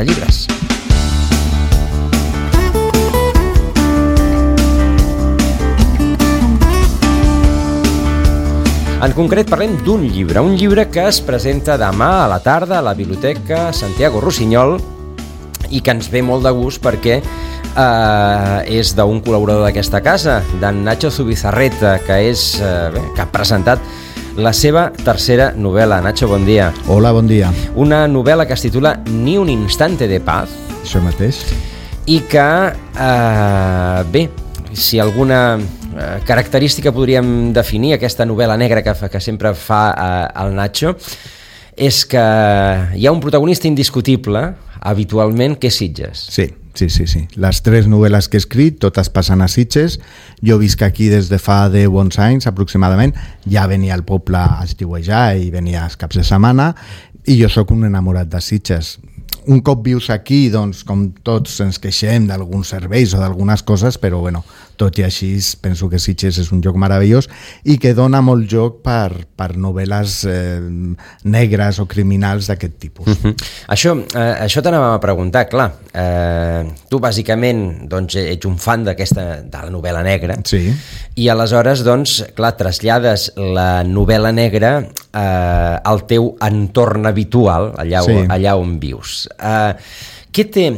de llibres. En concret parlem d'un llibre, un llibre que es presenta demà a la tarda a la Biblioteca Santiago Rusiñol i que ens ve molt de gust perquè és d'un col·laborador d'aquesta casa, d'en Nacho Zubizarreta, que ha presentat la seva tercera novel·la. Nacho, bon dia. Hola, bon dia. Una novel·la que es titula Ni un instante de paz. Això mateix. I que, si alguna característica podríem definir aquesta novel·la negra que sempre fa el Nacho, és que hi ha un protagonista indiscutible, habitualment, que és Sitges. Sí. Les 3 novel·les que he escrit, totes passen a Sitges. Jo visc aquí des de fa 10 bons anys, aproximadament. Ja venia al poble a estiuejar i venia els caps de setmana, i jo sóc un enamorat de Sitges. Un cop vius aquí, doncs, com tots ens queixem d'alguns serveis o d'algunes coses, però bueno, tot i així penso que Sitges és un lloc meravellós i que dona molt joc per novel·les negres o criminals d'aquest tipus. Això t'anàvem a preguntar, clar. Tu bàsicament doncs, ets un fan de la novel·la negra, sí. I aleshores, doncs, clar, trasllades la novel·la negra al teu entorn habitual, allà on vius. Què té...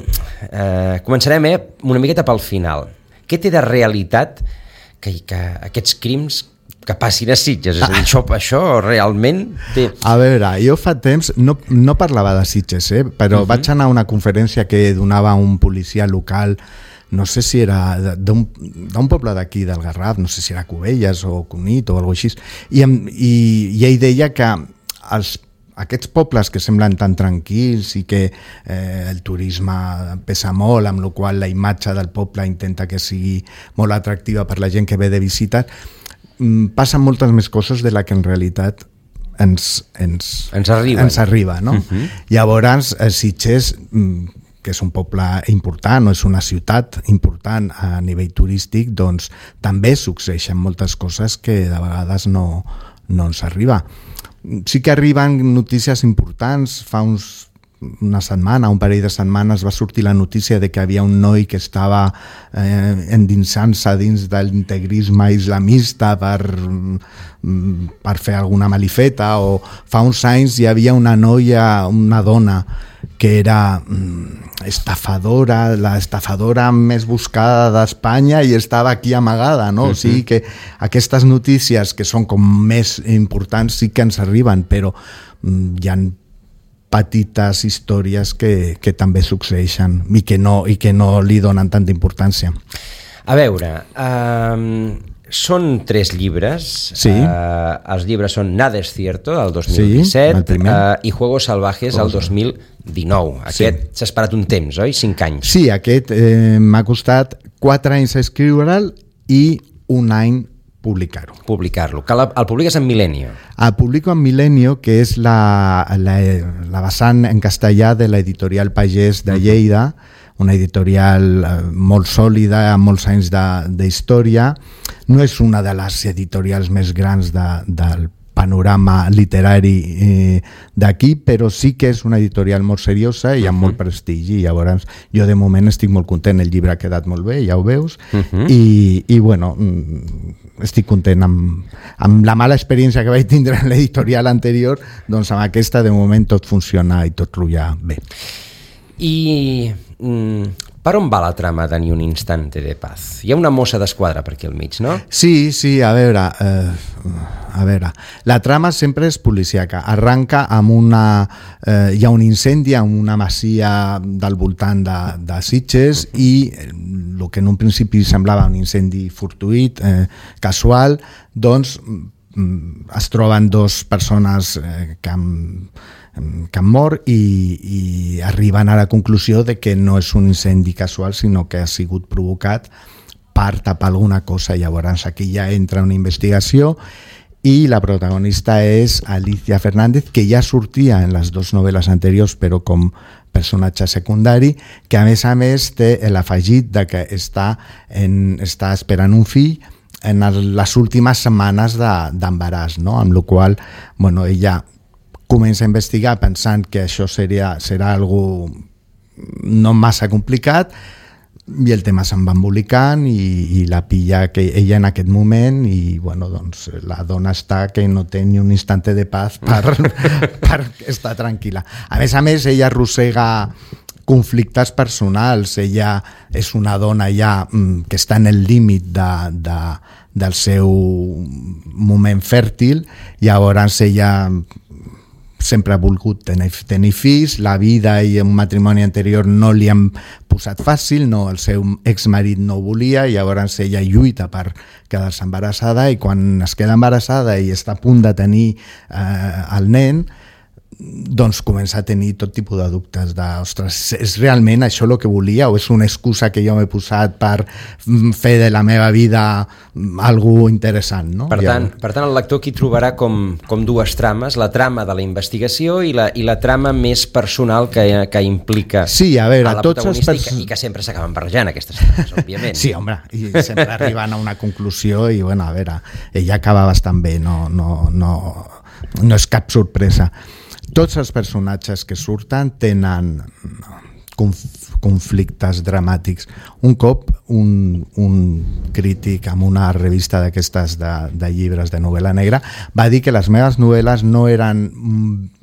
Començarem una miqueta pel final. Què té de realitat que aquests crims que passin a Sitges? És a dir, això realment té... A veure, jo fa temps no parlava de Sitges, però vaig anar a una conferència que donava un policia local, no sé si era d'un poble d'aquí del Garraf, no sé si era Cubelles o Cunit o alguna cosa així, i ell deia que aquests pobles que semblen tan tranquils i que el turisme pesa molt, amb la qual la imatge del poble intenta que sigui molt atractiva per la gent que ve de visita, passen moltes més coses de la que en realitat ens arriba, no? Llavors, Sitges, que és un poble important o és una ciutat important a nivell turístic, doncs també succeeixen moltes coses que de vegades no ens arriba. Sí que arriben notícies importants. Fa una setmana, un parell de setmanes, va sortir la notícia de que havia un noi que estava endinsant-se dins de l'integrisme islamista per fer alguna malifeta, o fa uns anys hi havia una dona que era estafadora, la estafadora més buscada d'Espanya, i estava aquí amagada, no? O sigui que aquestes notícies que són com més importants sí que ens arriben, però hi ha petites històries que també succeeixen i que no li donen tanta importància. A veure, són 3 llibres. Sí. Els llibres són Nada es cierto, del 2017, i Juegos salvajes, del 2019. Aquest s'ha esperat un temps, oi? 5 anys. Sí, aquest m'ha costat 4 anys escriure'l i 1 any publicar-lo. Que el publiques en Milenio. El publico en Milenio, que és la vessant en castellà de l'editorial Pagès de Lleida, una editorial molt sòlida, amb molts anys d'història. No és una de les editorials més grans del panorama literari d'aquí, però sí que és una editorial molt seriosa i amb molt prestigi. Llavors, jo de moment estic molt content, el llibre ha quedat molt bé, ja ho veus, i bueno, estic content amb la mala experiència que vaig tindre en l'editorial anterior, doncs amb aquesta de moment tot funciona i tot rutlla bé. I per on va la trama de Ni un instante de paz? Hi ha una mossa d'esquadra per aquí al mig, no? Sí, a veure, la trama sempre és policíaca. Arranca amb hi ha un incendi en una masia del voltant de Sitges, i el que en un principi semblava un incendi fortuït, casual, doncs es troben 2 persones que han mort, i arriben a la conclusió de que no és un incendi casual, sinó que ha sigut provocat per tapar alguna cosa. Llavors aquí ja entra una investigació, i la protagonista és Alicia Fernández, que ja sortia en les 2 novel·les anteriors, però com personatge secundari, que a més té l'afegit de que està esperant un fill en les últimes setmanes d'embaràs, no? Amb la qual cosa, ella comença a investigar pensant que això serà algo no massa complicat, i el tema se'n va embolicant i la pilla que ella en aquest moment i bueno, doncs la dona està que no té ni un instante de paz per estar tranquil·la. A més, ella arrossega conflictes personals, ella és una dona ja que està en el límit del seu moment fèrtil, llavors ella sempre ha volgut tenir fills, la vida i un matrimoni anterior no li han posat fàcil, no, el seu exmarit no ho volia, i llavors ella lluita per quedar-se embarassada, i quan es queda embarassada i està a punt de tenir el nen, doncs comença a tenir tot tipus de dubtes ostres, és realment això el que volia o és una excusa que jo m'he posat per fer de la meva vida algo interessant, no? Per tant, el lector aquí trobarà com dues trames, la trama de la investigació i la trama més personal que implica a la protagonista i que sempre s'acaben barrejant aquestes trames, òbviament. Sí, home, i sempre arriben a una conclusió i, bueno, a veure, ella acaba bastant bé, no és cap sorpresa. Tots els personatges que surten tenen conflictes dramàtics. Un cop un crític en una revista d'aquestes de llibres de novel·la negra va dir que les meves novel·les no eren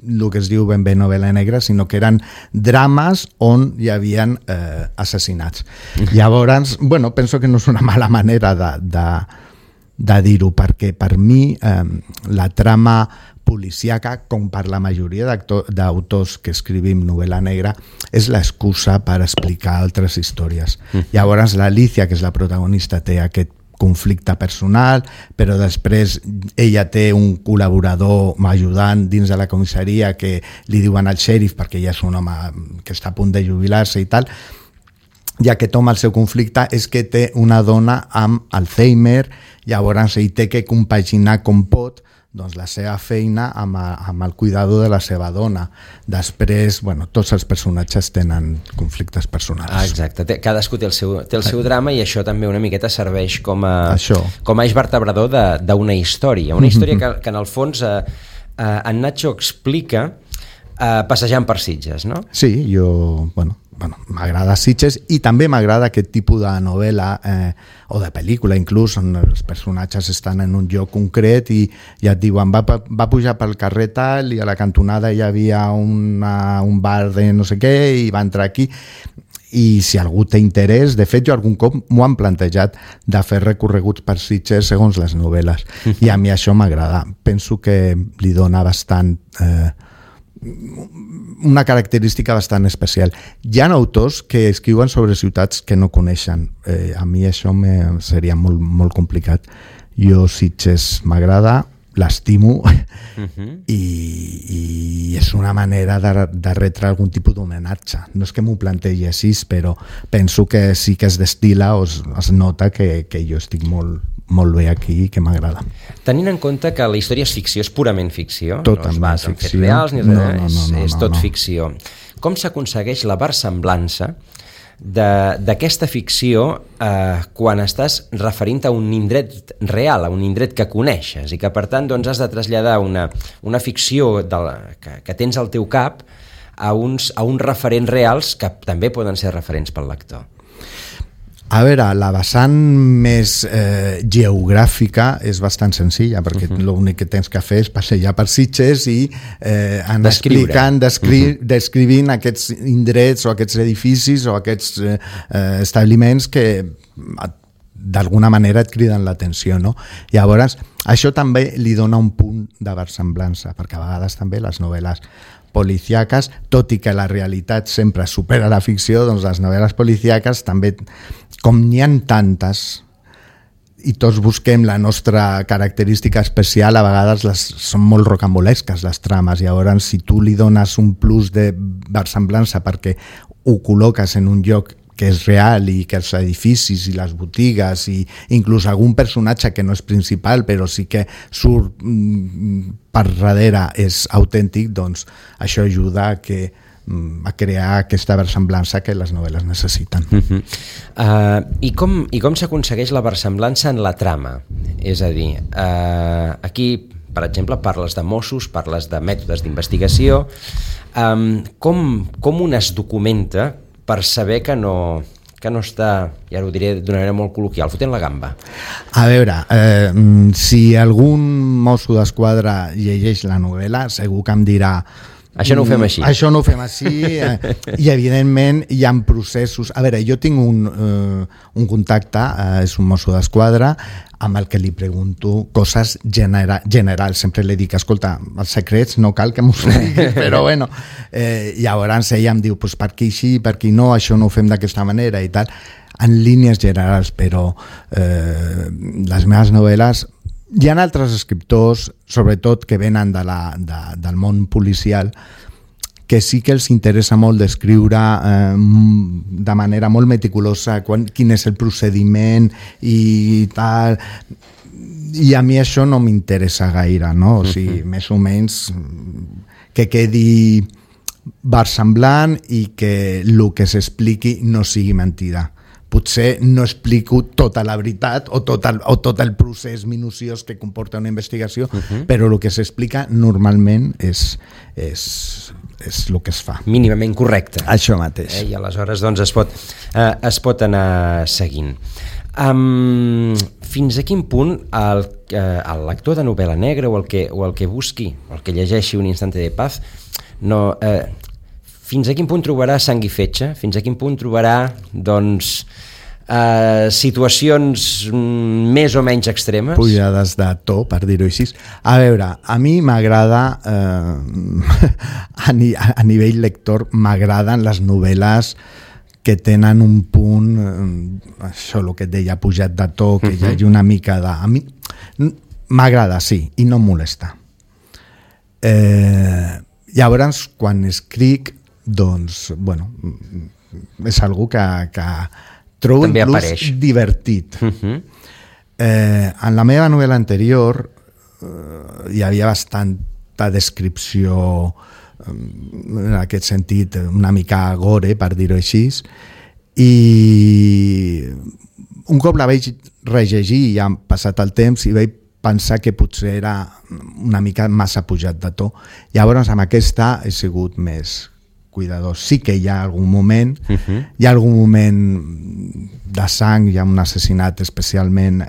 el que es diu ben bé novel·la negra, sinó que eren drames on hi havia assassinats. Llavors, bueno, penso que no és una mala manera de dir-ho, perquè per mi la trama policíaca, com per la majoria d'autors que escrivim novel·la negra, és l'excusa per explicar altres històries. Llavors l'Alicia, que és la protagonista, té aquest conflicte personal, però després ella té un col·laborador ajudant dins de la comissaria que li diuen al xèrif, perquè ella és un home que està a punt de jubilar-se i tal, i aquest home, el seu conflicte és que té una dona amb Alzheimer, llavors ell té que compaginar com pot doncs la seva feina amb el cuidador de la seva dona. Després, bueno, tots els personatges tenen conflictes personals. Exacte, cadascú té el seu drama, i això també una miqueta serveix com a eix vertebrador d'una història. Una història que en el fons en Nacho explica passejant per Sitges, no? Sí, m'agrada Sitges, i també m'agrada aquest tipus de novel·la o de pel·lícula inclús, on els personatges estan en un lloc concret i ja et diuen va pujar pel carrer tal i a la cantonada hi havia un bar de no sé què i va entrar aquí. I si algú té interès, de fet jo algun cop m'ho han plantejat de fer recorreguts per Sitges segons les novel·les, i a mi això m'agrada, penso que li dona bastant una característica bastant especial. Hi ha autors que escriuen sobre ciutats que no coneixen, a mi això seria molt, molt complicat. Jo Sitges m'agrada, l'estimo, i és una manera de retre algun tipus d'homenatge. No és que m'ho plantegi així, però penso que sí que es destila o es nota que jo estic molt bé aquí i que m'agrada. Tenint en compte que la història és ficció, és purament ficció, totalment no es basa en fets reals ni res, és tot ficció. Com s'aconsegueix la versemblança d'aquesta ficció quan estàs referint a un indret real, a un indret que coneixes, i que per tant doncs, has de traslladar una ficció que tens al teu cap a uns referents reals que també poden ser referents pel lector? A veure, la vessant més geogràfica és bastant senzilla, perquè l'únic que tens que fer és passejar per Sitges i anar explicant, descrivint aquests indrets o aquests edificis o aquests establiments que d'alguna manera et criden l'atenció, no? Llavors, això també li dona un punt de versemblança, perquè a vegades també les novel·les policíaques, tot i que la realitat sempre supera la ficció, doncs les novel·les policíaques també, com n'hi ha tantes i tots busquem la nostra característica especial, a vegades són molt rocambolesques les trames, i llavors si tu li dones un plus de versemblança perquè ho col·loques en un lloc que és real i que els edificis i les botigues i inclús algun personatge que no és principal però sí que surt per darrere és autèntic, doncs això ajuda a crear aquesta versemblança que les novel·les necessiten. I com s'aconsegueix la versemblança en la trama? És a dir, aquí per exemple, parles de Mossos, parles de mètodes d'investigació. Com un es documenta per saber que no està, ja ho diré d'una manera molt col·loquial, fotent la gamba? A veure, si algun mosso d'esquadra llegeix la novel·la, segur que em dirà: això no ho fem així. Això no ho fem així, i evidentment hi ha processos. A veure, jo tinc un contacte, és un mosso d'esquadra, amb el que li pregunto coses generals. Sempre li dic: escolta, els secrets no cal que m'ho digui, però bueno. Llavors ella em diu: pues per aquí sí, per aquí no, això no ho fem d'aquesta manera i tal, en línies generals. Però les meves novel·les, hi ha altres escriptors, sobretot que venen del món policial, que sí que els interessa molt descriure de manera molt meticulosa quin és el procediment i tal, i a mi això no m'interessa gaire, no? O sigui, més o menys que quedi versemblant i que el que s'expliqui no sigui mentida. Potser no explico tota la veritat o tot el procés minuciós que comporta una investigació, però el que s'explica normalment és el que es fa. Mínimament correcte. Això mateix. I aleshores doncs, es pot anar seguint. Fins a quin punt el lector de novel·la negra o el que busqui, el que llegeixi Un instante de paz, fins a quin punt trobarà sang i fetge? Fins a quin punt trobarà, doncs, situacions més o menys extremes? Pujades de to, per dir-ho així. A veure, a mi m'agrada, a nivell lector, m'agraden les novel·les que tenen un punt, això, el que et deia, pujat de to, que hi hagi una mica de... A mi m'agrada, sí, i no em molesta. Llavors, quan escric, doncs, bueno, és algo que trobo també inclús apareix divertit. En la meva novel·la anterior hi havia bastanta descripció, en aquest sentit, una mica gore, per dir-ho així, i un cop la vaig rellegir, ja ha passat el temps, i vaig pensar que potser era una mica massa pujat de to. Llavors, amb aquesta he sigut més cuidadós. Sí que hi ha algun moment, hi ha algun moment de sang, hi ha un assassinat especialment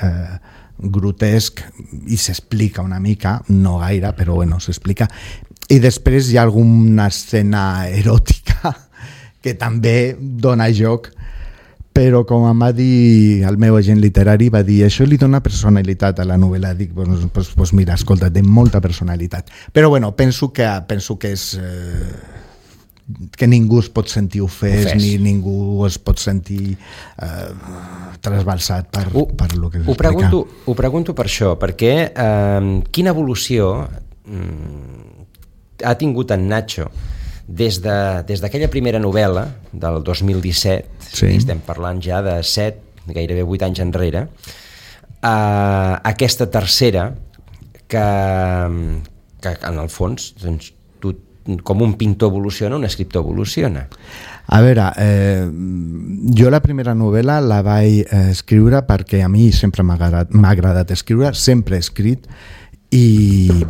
grotesc i s'explica una mica, no gaire, però bueno, s'explica. I després hi ha alguna escena eròtica que també dona joc, però com em va dir el meu agent literari, va dir: això li dona personalitat a la novel·la. Dic, pues mira, escolta, té molta personalitat. Però bueno, penso que és... que ningú es pot sentir ofès. Ni ningú es pot sentir trasbalsat per el que s'explica. Ho pregunto per això, perquè quina evolució ha tingut en Nacho des d'aquella primera novel·la del 2017, sí. Estem parlant ja de 7, gairebé 8 anys enrere, a aquesta tercera que en el fons, doncs, com un pintor evoluciona, un escriptor evoluciona. A veure, jo la primera novel·la la vaig escriure perquè a mi sempre m'ha agradat escriure, sempre he escrit, i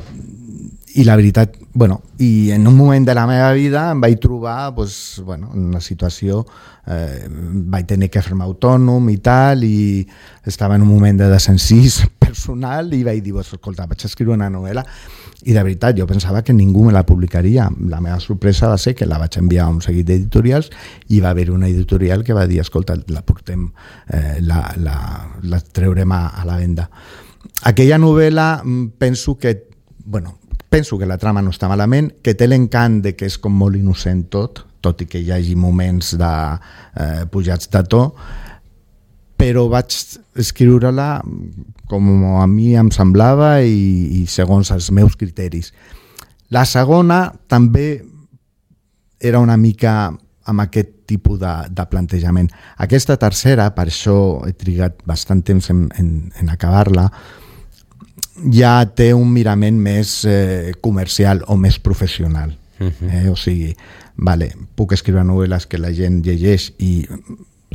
la veritat, bueno, i en un moment de la meva vida em vaig trobar en una situació, vaig tenir que fer-me autònom i tal, i estava en un moment de desencís personal i vaig dir, escolta, vaig escriure una novel·la, i de veritat jo pensava que ningú me la publicaria. La meva sorpresa va ser que la vaig enviar a un seguit d'editorials i va haver una editorial que va dir: escolta, la portem, la treurem a la venda. Aquella novel·la penso que la trama no està malament, que té l'encant de que és com molt innocent tot i que hi hagi moments de pujats de to, però vaig escriure-la com a mi em semblava i segons els meus criteris. La segona també era una mica amb aquest tipus de plantejament. Aquesta tercera, per això he trigat bastant temps en acabar-la, ja té un mirament més comercial o més professional. O sigui, puc escriure novel·les que la gent llegeix i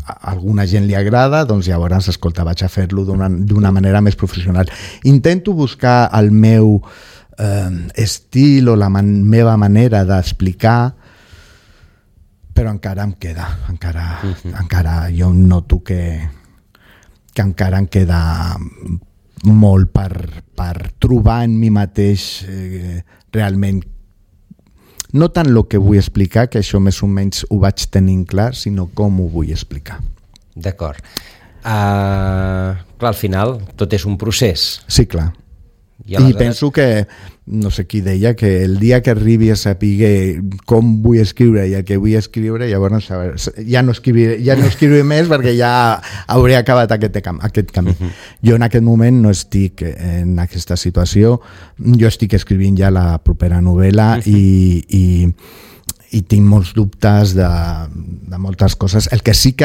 a alguna gent li agrada, doncs llavors, escolta, vaig a fer-lo d'una manera més professional. Intento buscar el meu estil o la meva manera d'explicar, però encara em queda, encara jo noto que encara em queda molt per trobar en mi mateix realment, no tant el que vull explicar, que això més o menys ho vaig tenint clar, sinó com ho vull explicar. D'acord. Clar, al final tot és un procés. Sí, clar. I penso que, no sé qui deia, que el dia que arribi a saber com vull escriure i el que vull escriure, llavors ja no escriuré més perquè ja hauré acabat aquest camí. Jo en aquest moment no estic en aquesta situació, jo estic escrivint ja la propera novel·la i tinc molts dubtes de moltes coses. El que sí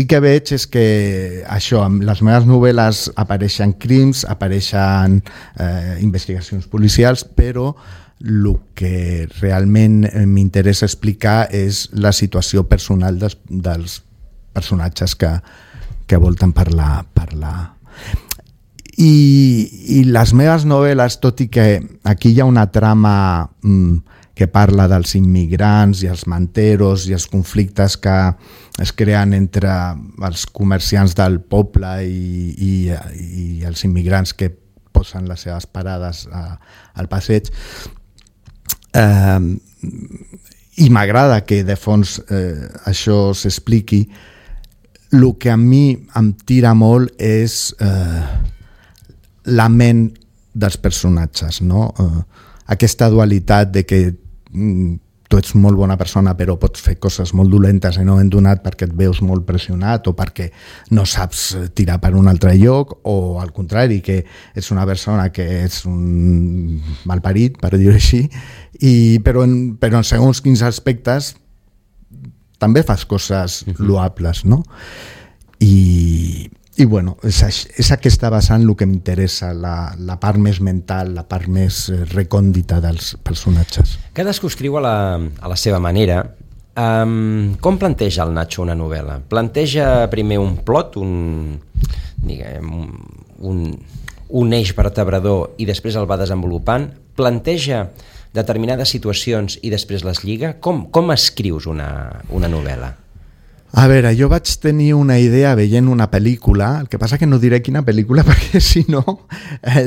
que veig és que això, amb les meves novel·les apareixen crims, apareixen investigacions policials, però el que realment m'interessa explicar és la situació personal dels personatges que volten per la... I les meves novel·les, tot i que aquí hi ha una trama que parla dels immigrants i els manteros i els conflictes que es creen entre els comerciants del poble i els immigrants que posen les seves parades al passeig. I m'agrada que de fons això s'expliqui. El que a mi em tira molt és la ment dels personatges, no? Aquesta dualitat de que tu ets molt bona persona però pots fer coses molt dolentes en un moment donat perquè et veus molt pressionat o perquè no saps tirar per un altre lloc, o al contrari, que ets una persona que ets un malparit, per dir-ho així, però en segons quins aspectes també fas coses loables, no? I bueno, és aquesta vessant el que m'interessa, la part més mental, la part més recòndita dels personatges. Cadascú escriu a la seva manera. Com planteja el Nacho una novel·la? Planteja primer un plot, un eix vertebrador i després el va desenvolupant? Planteja determinades situacions i després les lliga? Com escrius una novel·la? A veure, jo vaig tenir una idea veient una pel·lícula, el que passa que no diré quina pel·lícula perquè si no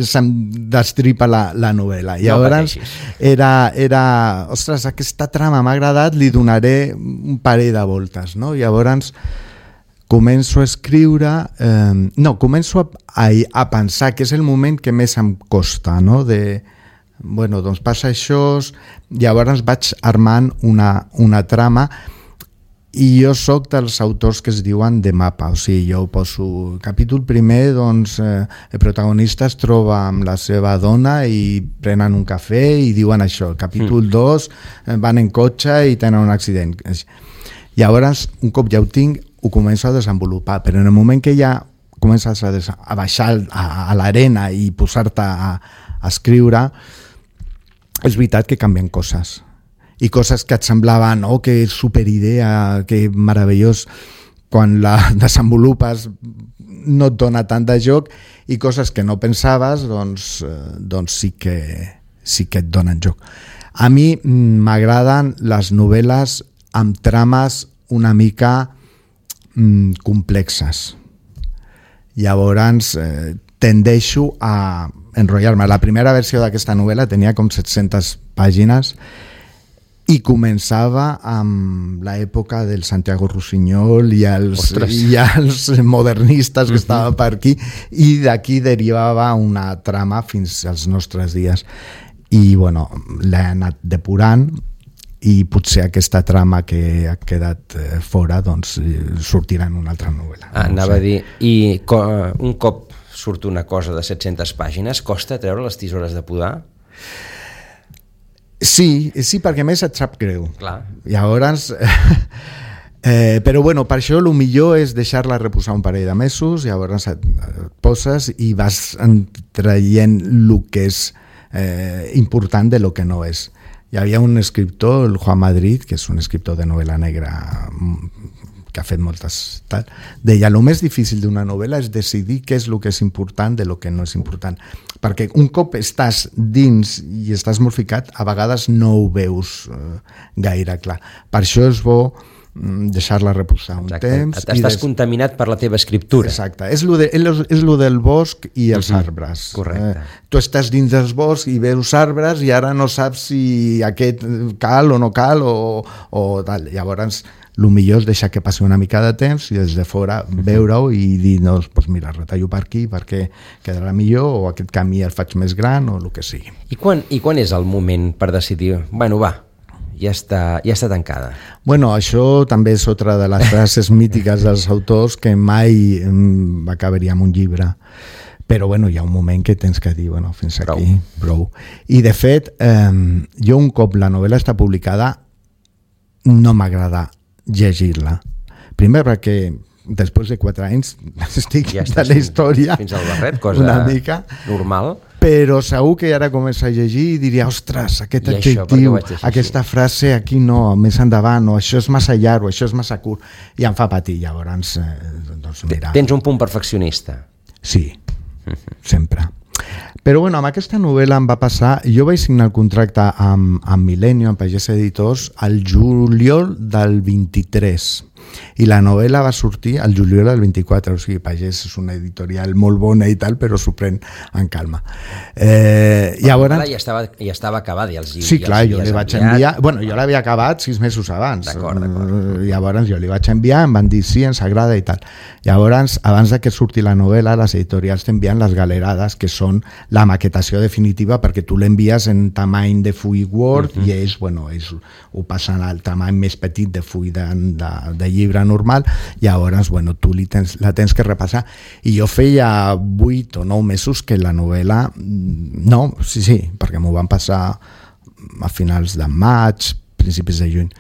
se'm destripa la novel·la. Llavors era ostres, aquesta trama m'ha agradat, li donaré un parell de voltes, no? Llavors començo a escriure, començo a pensar que és el moment que més em costa, no? Bueno, doncs passa això, llavors vaig armant una trama. I jo sóc dels autors que es diuen de mapa, o sigui, jo poso capítol primer, doncs el protagonista es troba amb la seva dona i prenen un cafè i diuen això, capítol 2 van en cotxe i tenen un accident. Llavors, un cop ja ho tinc, ho començo a desenvolupar, però en el moment que ja comences a baixar a l'arena i posar-te a escriure, és veritat que canvien coses. I coses que et semblaven, que superidea, que meravellós, quan la desenvolupes no et dona tant de joc, i coses que no pensaves, doncs sí que et donen joc. A mi m'agraden les novel·les amb trames una mica complexes. Llavors tendeixo a enrotllar-me. La primera versió d'aquesta novel·la tenia com 700 pàgines i començava amb l'època del Santiago Rusiñol i els modernistes que estaven per aquí, i d'aquí derivava una trama fins als nostres dies. I bueno, l'he anat depurant i potser aquesta trama que ha quedat fora doncs sortirà en una altra novel·la. Anava a dir, i un cop surt una cosa de 700 pàgines, costa treure les tisores de podar? Sí, perquè més et sap greu. Clar. Llavors, però bueno, per això el millor és deixar-la reposar un parell de mesos, llavors et poses i vas traient el que és important de lo que no és. Hi havia un escriptor, el Juan Madrid, que és un escriptor de novel·la negra que ha fet moltes... Deia, el més difícil d'una novel·la és decidir què és el que és important de lo que no és important. Perquè un cop estàs dins i estàs molt ficat, a vegades no ho veus gaire clar. Per això és bo deixar-la reposar un temps. Estàs contaminat per la teva escriptura. Exacte. És lo del bosc i els arbres. Correcte. Tu estàs dins dels boscs i veus arbres i ara no saps si aquest cal o no cal o tal. Llavors, el millor és deixar que passi una mica de temps i des de fora veure-ho i dir, doncs, mira, retallo per aquí perquè quedarà millor, o aquest camí el faig més gran, o el que sigui. I quan és el moment per decidir, bueno, va, ja està tancada? Bueno, això també és otra de les frases mítiques dels autors, que mai acabaria amb un llibre. Però bueno, hi ha un moment que tens que dir, bueno, fins aquí, prou. I de fet, jo un cop la novel·la està publicada, no m'agrada llegir-la. Primer perquè després de 4 anys estic ja de la història fins al barret, cosa una mica normal, però segur que ara comença a llegir i diria, ostres, aquest adjectiu, aquesta frase aquí no, més endavant, o això és massa llarg, o això és massa curt, i em fa patir. Llavors, doncs mira. Tens un punt perfeccionista. Sí, sempre. Però bueno, amb aquesta novel·la em va passar, jo vaig signar el contracte amb Milenio, amb Pagès Editors, al juliol del 23, i la novel·la va sortir al juliol del 24, o sigui, Pagès és una editorial molt bona i tal, però s'ho pren en calma. Llavors... Ja estava acabada. Sí, clar, jo li vaig enviar... Bueno, jo l'havia acabat 6 mesos abans. D'acord. Llavors jo li vaig enviar, em van dir sí, ens agrada i tal. Llavors, abans de que surti la novel·la, les editorials t'envien les galerades, que són la maquetació definitiva, perquè tu l'envies en tamany de full Word i ells, bueno, ho passen al tamany més petit de full de llibre normal. Llavors, bueno, tu la tens que repassar. I jo feia 8 o 9 mesos que la novel·la... No, sí, perquè m'ho van passar a finals de maig, principis de juny.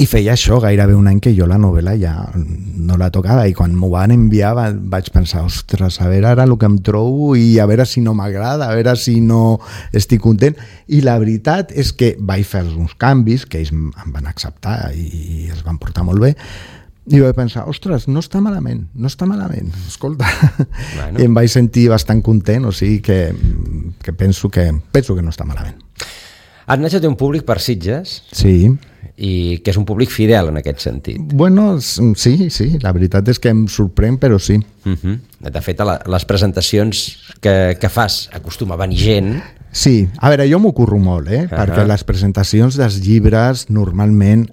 I feia això, gairebé un any que jo la novel·la ja no la tocava, i quan m'ho van enviar vaig pensar, ostres, a veure ara el que em trobo i a veure si no m'agrada, a veure si no estic content. I la veritat és que vaig fer uns canvis que ells em van acceptar i es van portar molt bé, i vaig pensar, ostres, no està malament, escolta. Bueno. I em vaig sentir bastant content, o sigui que penso que no està malament. Nacho té un públic per Sitges. Sí. I que és un públic fidel en aquest sentit. Bueno, sí, la veritat és que em sorprèn, però sí. De fet, a les presentacions que fas acostuma a venir gent. Sí, a veure, jo m'ho curro molt, perquè les presentacions dels llibres normalment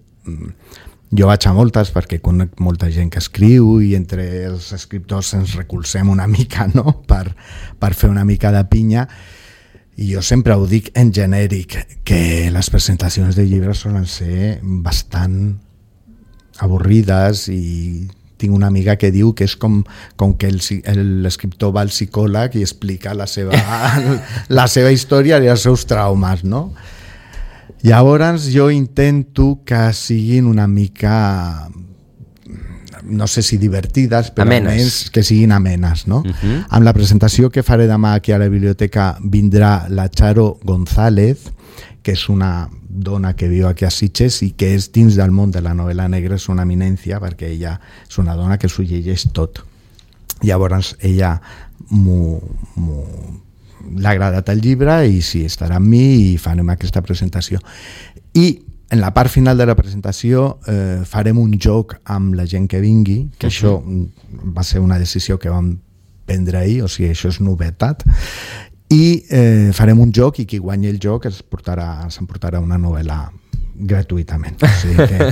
jo vaig a moltes perquè conec molta gent que escriu i entre els escriptors ens recolzem una mica, no?, per fer una mica de pinya. I jo sempre ho dic en genèric, que les presentacions de llibres solen ser bastant avorrides, i tinc una amiga que diu que és com que l'escriptor va al psicòleg i explica la seva història i els seus traumes, no? Llavors jo intento que siguin una mica... no sé si divertides, però almenys que siguin amenes, no? Amb la presentació que faré demà aquí a la biblioteca vindrà la Charo González, que és una dona que viu aquí a Sitges i que és dins del món de la novel·la negra, és una eminència, perquè ella és una dona que s'ho llegeix tot. Llavors ella l'ha agradat el llibre i sí, estarà amb mi i farem aquesta presentació. I en la part final de la presentació farem un joc amb la gent que vingui, que això va ser una decisió que vam prendre ahir, o sigui, això és novetat, i farem un joc i qui guanyi el joc s'emportarà una novel·la gratuïtament. O sigui que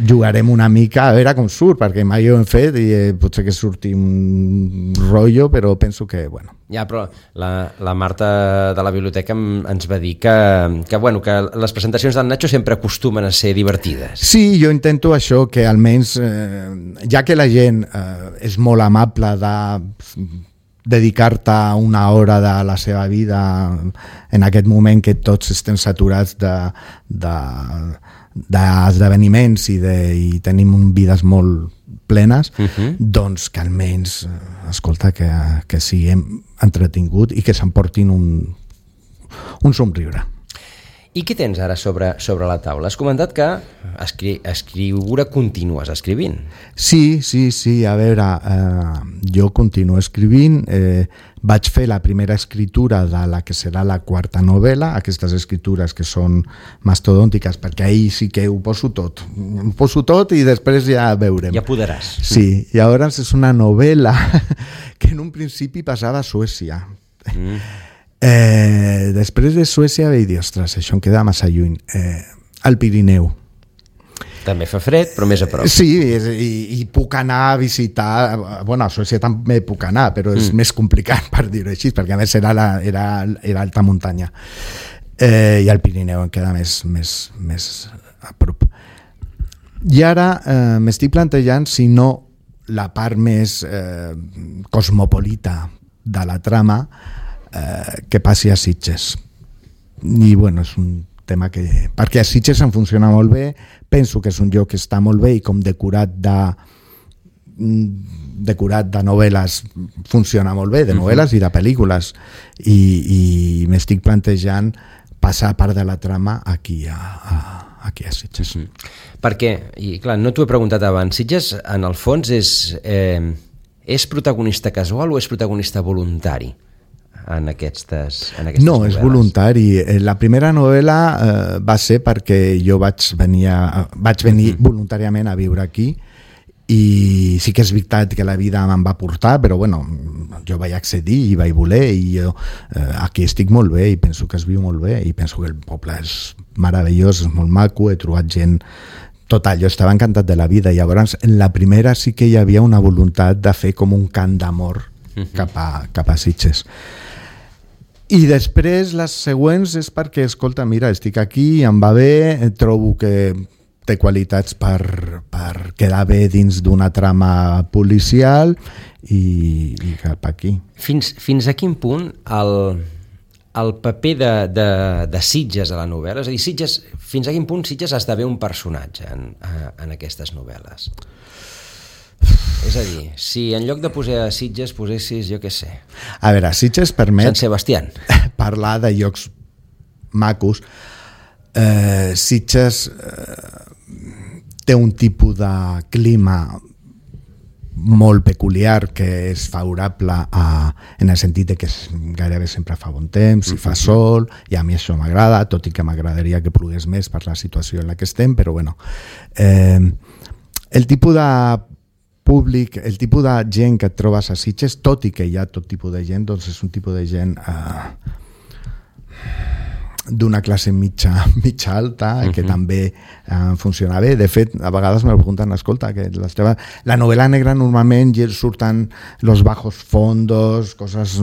jugarem una mica a veure com surt, perquè mai ho hem fet i potser que surti un rotllo, però penso que, bueno. Ja, però la Marta de la biblioteca ens va dir que les presentacions del Nacho sempre acostumen a ser divertides. Sí, jo intento això, que almenys, ja que la gent és molt amable de dedicar-te una hora de la seva vida en aquest moment que tots estem saturats d'esdeveniments i tenim vides molt plenes, doncs que almenys, escolta, que siguem entretingut i que s'emportin un somriure. I què tens ara sobre la taula? Has comentat que escriure continues escrivint. Sí, a veure, jo continuo escrivint, vaig fer la primera escritura de la que serà la quarta novel·la, aquestes escritures que són mastodòntiques, perquè ahir sí que ho poso tot i després ja veurem. Ja podràs. Sí, llavors és una novel·la que en un principi passava a Suècia. Després de Suècia vaig dir, ostres, això em queda massa lluny. Al Pirineu. També fa fred, però més a prop. Sí, i puc anar a visitar... Bueno, a Suècia també puc anar, però és més complicat, per dir-ho així, perquè a més era alta muntanya. I al Pirineu em queda més a prop. I ara m'estic plantejant si no la part més cosmopolita de la trama que passi a Sitges. I bueno, és un tema que... Perquè a Sitges em funciona molt bé, penso que és un lloc que està molt bé i com decorat de novel·les funciona molt bé, de novel·les i de pel·lícules, i m'estic plantejant passar part de la trama aquí a Sitges. Perquè, i clar, no t'ho he preguntat abans, Sitges en el fons és protagonista casual o és protagonista voluntari en aquestes novel·les? No, és voluntari. La primera novel·la va ser perquè jo vaig venir voluntàriament a viure aquí, i sí que és veritat que la vida me'n va portar, però bueno, jo vaig accedir i vaig voler, i jo aquí estic molt bé i penso que es viu molt bé i penso que el poble és meravellós, és molt maco, he trobat gent. Total, jo estava encantat de la vida. Llavors, en la primera sí que hi havia una voluntat de fer com un cant d'amor cap a Sitges. I després les següents és perquè, escolta, mira, estic aquí, em va bé, trobo que té qualitats per quedar bé dins d'una trama policial i cap aquí. Fins a quin punt el paper de Sitges a la novel·la, és a dir, fins a quin punt Sitges esdevé un personatge en aquestes novel·les? És a dir, si en lloc de posar Sitges posessis, jo què sé... A veure, Sitges permet... Sant Sebastián. Parlar de llocs macos. Sitges té un tipus de clima molt peculiar que és favorable en el sentit que gairebé sempre fa bon temps i fa sol, i a mi això m'agrada, tot i que m'agradaria que plogués més per la situació en la que estem, però bueno, el tipus de públic, el tipus de gent que et trobes a Sitges, tot i que hi ha tot tipus de gent, doncs és un tipus de gent d'una classe mitja alta, que també funciona bé. De fet, a vegades me pregunten, escolta, que la novel·la negra normalment surten los bajos fondos, coses,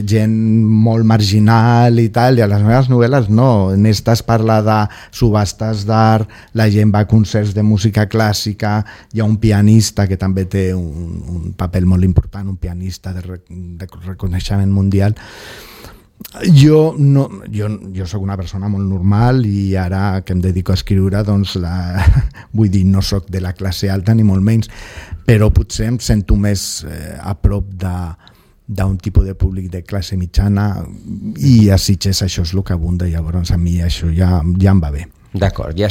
gent molt marginal i tal, i a les meves novel·les no. En estas parla de subhastes d'art, la gent va a concerts de música clàssica, hi ha un pianista que també té un paper molt important, un pianista de reconeixement mundial. Jo soc una persona molt normal i ara que em dedico a escriure, doncs vull dir, no soc de la classe alta ni molt menys, però potser em sento més a prop d'un tipus de públic de classe mitjana, i a Sitges això és el que abunda, llavors a mi això ja em va bé. D'acord, ja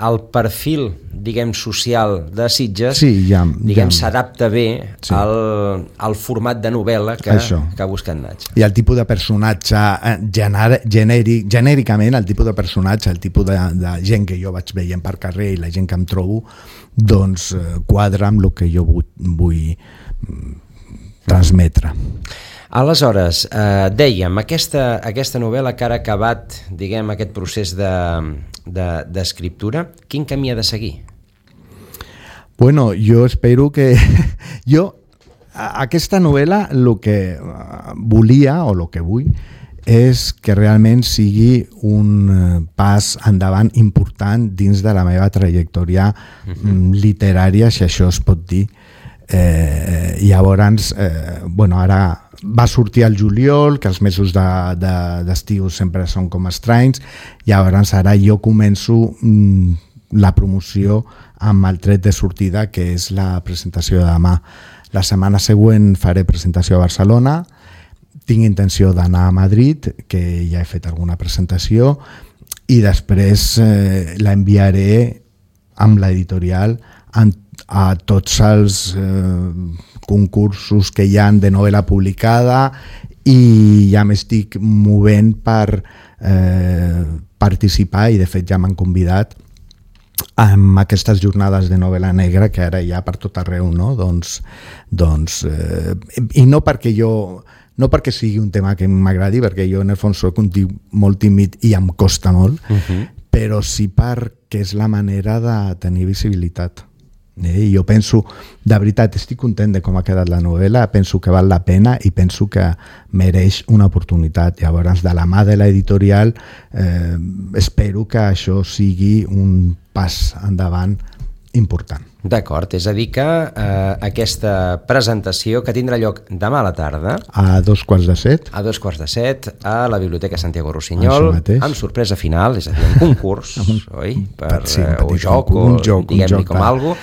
el perfil, diguem, social de Sitges, s'adapta bé al format de novel·la que busca en Natx. I el tipus de personatge genèricament, el tipus de personatge, el tipus de gent que jo vaig veient per carrer i la gent que em trobo, doncs quadra amb el que jo vull transmetre. Aleshores, dèiem, aquesta novel·la que ara ha acabat, diguem, aquest procés d'escriptura, quin camí ha de seguir? Bueno, jo espero que... Aquesta novel·la, el que volia, o el que vull, és que realment sigui un pas endavant important dins de la meva trajectòria literària, si això es pot dir. Llavors, ara va sortir al juliol, que els mesos d'estiu sempre són com estranys, i llavors ara jo començo la promoció amb el tret de sortida, que és la presentació de demà. La setmana següent faré presentació a Barcelona, tinc intenció d'anar a Madrid, que ja he fet alguna presentació, i després l'enviaré amb l'editorial a tots els concursos que hi ha de novel·la publicada, i ja m'estic movent per participar, i de fet ja m'han convidat amb aquestes jornades de novel·la negra que ara hi ha per tot arreu, no? I no perquè sigui un tema que m'agradi, perquè jo en el fons soc un tio molt tímid i em costa molt, però sí perquè és la manera de tenir visibilitat. I jo penso, de veritat, estic content de com ha quedat la novel·la, penso que val la pena i penso que mereix una oportunitat. Llavors, de la mà de l'editorial, espero que això sigui un pas endavant important. D'acord, és a dir que aquesta presentació, que tindrà lloc demà a la tarda a 2:15 a la Biblioteca Santiago Rossinyol, amb sorpresa final, és a dir, un concurs oi? O joc, diguem-li com algo,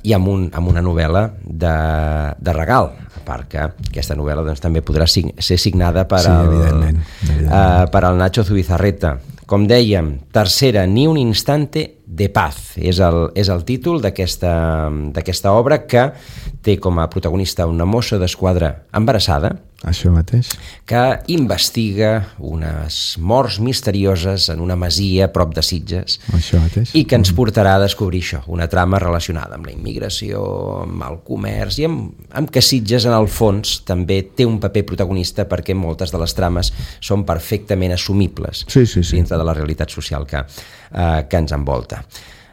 i amb una novel·la de regal, a part que aquesta novel·la doncs, també podrà ser signada per al Nacho Zubizarreta. Com dèiem, tercera, Ni un instante de paz, és el títol d'aquesta obra, que té com a protagonista una mossa d'esquadra embarassada, això mateix, que investiga unes morts misterioses en una masia prop de Sitges, això mateix, i que ens portarà a descobrir això, una trama relacionada amb la immigració, amb el comerç, i amb que Sitges en el fons també té un paper protagonista, perquè moltes de les trames són perfectament assumibles dintre de la realitat social que ens envolta.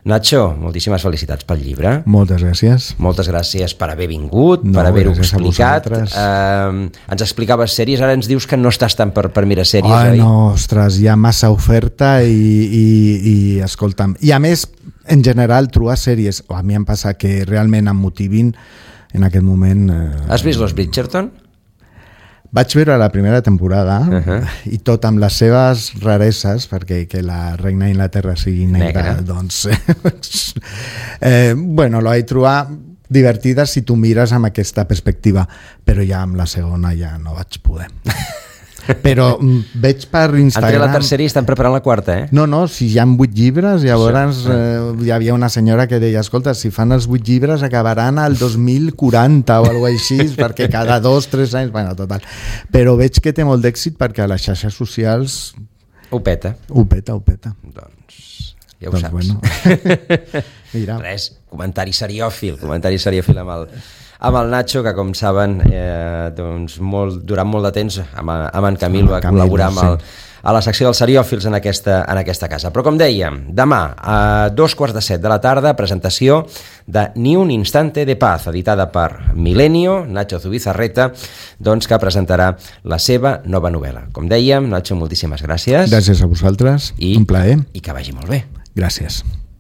Nacho, moltíssimes felicitats pel llibre. Moltes gràcies. Moltes gràcies per haver vingut, per haver-ho explicat. Ens explicaves sèries, ara ens dius que no estàs tant per mirar sèries, oi? No, ostres, hi ha massa oferta i escolta'm. I a més, en general, trobar sèries, a mi em passa que realment em motivin en aquest moment... Has vist Los Bridgerton? Vaig veure la primera temporada i tot amb les seves rareses, perquè que la reina d'Inglaterra sigui negra, doncs bueno, la vaig trobar divertida si tu mires amb aquesta perspectiva, però ja amb la segona ja no vaig poder. Però veig per Instagram... Entre la tercera i estan preparant la quarta, No, si hi ha 8 llibres, llavors hi havia una senyora que deia, escolta, si fan els 8 llibres acabaran al 2040 o alguna cosa així, perquè cada 2-3 anys... Bueno, total. Però veig que té molt d'èxit perquè a les xarxes socials... Ho peta. Doncs ja ho saps. Bueno. Mira. Res, comentari seriòfil amb el Nacho, que com saben doncs durant molt de temps amb en Camil va col·laborar a la secció dels seriòfils en aquesta casa. Però com dèiem, demà a 2:15 de la tarda, presentació de Ni un instante de paz, editada per Milenio, Nacho Zubizarreta, doncs, que presentarà la seva nova novel·la. Com dèiem, Nacho, moltíssimes gràcies. Gràcies a vosaltres, un plaer. I que vagi molt bé. Gràcies.